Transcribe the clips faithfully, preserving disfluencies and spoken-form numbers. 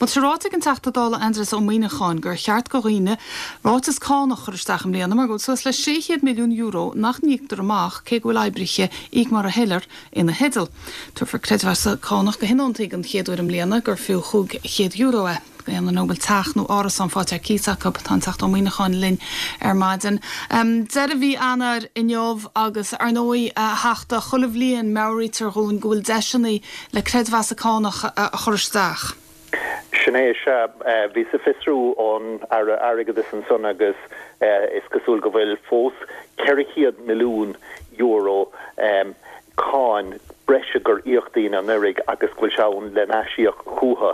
Tá sé ráite ag an Teachta Dála Aindrias Ó Muimhneacháin gur cheart do dhaoine ráiteas cánach a chur isteach i mbliana mar go bhfuil suas le sé chéad milliún euro nach n-íoctar amach cé go bhfuil oibrithe íoc mar a thuillir ina theideal. Tabharfar creidmheas cánach do thionóntaí den chéad uair i mbliana gur fiú cúig chéad euro é. Aon duine a bhfuil teach nó árasán faighte ar cíos acu tá an Teachta Ó Muimhneacháin linn ar maidin. Um, Deireadh mhí Eanáir inniu agus ar ndóigh a Theachta chuile bhliain meabhraítear dúinn go bhfuil deiseanna le creidmheas cánach a chur isteach. Sin é sé bhí sa fiosrú ón Aire Airgeadais ansan agus is cosúil go bhfuil fós ceithre chéad milliún euro um, cáin breise gur íoc daoine anuraidh agus go bhfuil sé ann le n-aisíoc chucu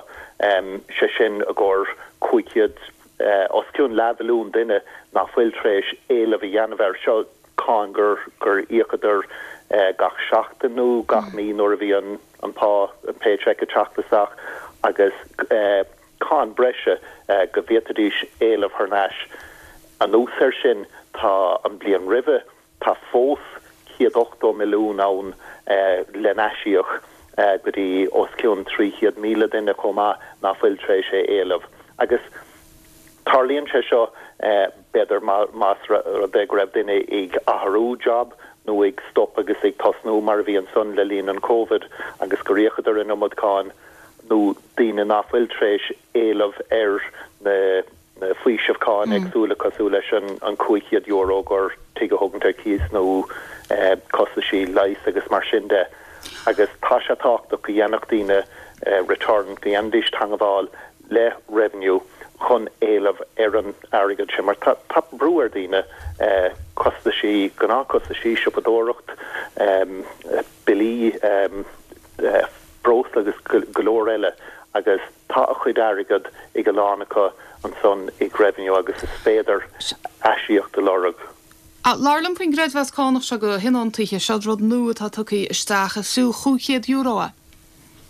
um, sé sin i gcomhair cúig chéad uh, os cionn leathmhilliún duine nach bhfuil tar éis éileamh a dhéanamh air seo cáin gur gur íocadar uh, gach seachtain nó gach mí nuair a bhí an an pá an paycheck ag teacht isteach agus uh, cáin breise uh, go bhféadfaidís éileamh thar n-ais. Anuas air sin tá an bliain roimhe tá fós céad ochtó milliún ann eh, le n-aisíoc eh, go dtí os cionn trí chéad míle duine chomh maith nach bhfuil tar éis é éileamh. Agus tarlaíonn sé seo eh, b'fhéidir más rud é go raibh duine ag athrú job nó ag stop agus ag tosnú mar a bhí ansan le linn an COVID agus gur íocadar an iomad cáin nó daoine nach bhfuil tar éis éileamh ar na na faoisimh cáin mm. éagsúla cosúil leis an an cúig chéad euro gur tigh a thógaint ar cíos nó eh, costaisí leighis agus mar sin de. Agus tá sé tábhachtach go dhéanfadh daoine eh, return go ndéanfaidís teagmháil le revenue chun éileamh ar an airgead sin mar tá tá brú ar daoine eh, costaisí gnáthchostaisí siopadóireacht um, billí um, eh, breosla agus go leor eile agus tá a chuid airgead ag a lán acu ansan ag revenue agus is féidir aisíoc a lorg. Labhair liom faoin gcreidmheas cánach seo do thionóntaithe seo rud nua atá tugtha isteach is fiú cúig chéad euro é.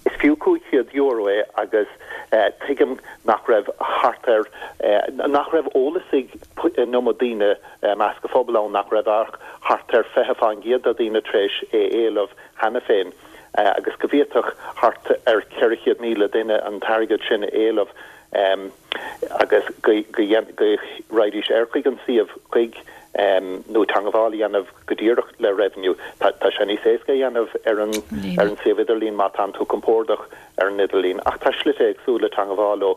Is fiú cúig chéad euro é agus eh, tuigim nach raibh thart ar eh, nach raibh eolas ag an iomad daoine eh, measc an phobail ann nach raibh ach thart ar fiche faoin gcéad de daoine tar éis é éileamh cheana féin. Uh, agus go bhféadfadh thart ar ceithre chéad míle duine an t-airgead sin éileamh um, agus go raghaidís ar chuig an suíomh chuig um, nó teagmháil a dhéanamh go díreach le revenue Tá sé níos éasca dhéanamh ar an ar an suíomh idirlín má tá tú compordach ar an idirlíon ach tá slite éagsúla teagmháil leo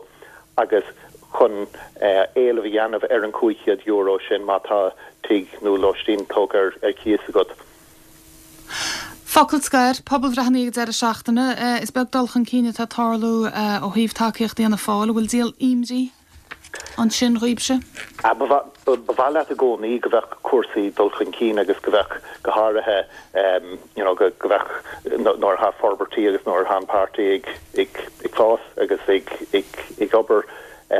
agus chun uh, éileamh a dhéanamh ar an cúig chéad euro sin má tá tigh nó lóistín tógtha ar ar cíos agat. Focal scoir pobalbhreitheanna ag deireadh seachtaine is beag dul chun cinn atá ag tarlú ó thaobh tacaíocht Fhianna Fáil bhfuil díol imní ansin oraibhse? Ba mhaith leat i gcónaí go bheadh cúrsaí dul chun cinn agus go bheadh go háirithe um, you know, go go bheadh nuair atá forbairtí agus nuair atá an páirtí ag ag ag fás agus ag ag ag obair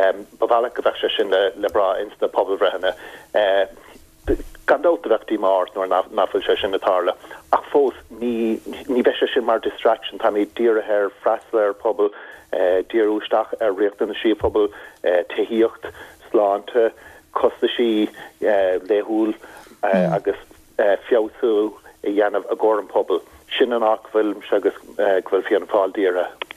um, ba mhaith leat go bheadh sé sin le le brath ins na pobalbhreitheanna. Uh, gan dabht bheadh díomá nuair nach bhfuil sé sin ag tarlú ach fós ní ní bheidh sé sin mar distraction tá mé dírithe ar freastal ar pobal eh, díriú isteach ar riachtanaisí pobal eh, tithíocht sláinte costaisí eh, laethúil eh, mm. agus eh, feabhsú a dhéanamh i gcomhair an pobal sin an áit bhfuil agus eh, go bhfuil Fianna Fáil dírithe.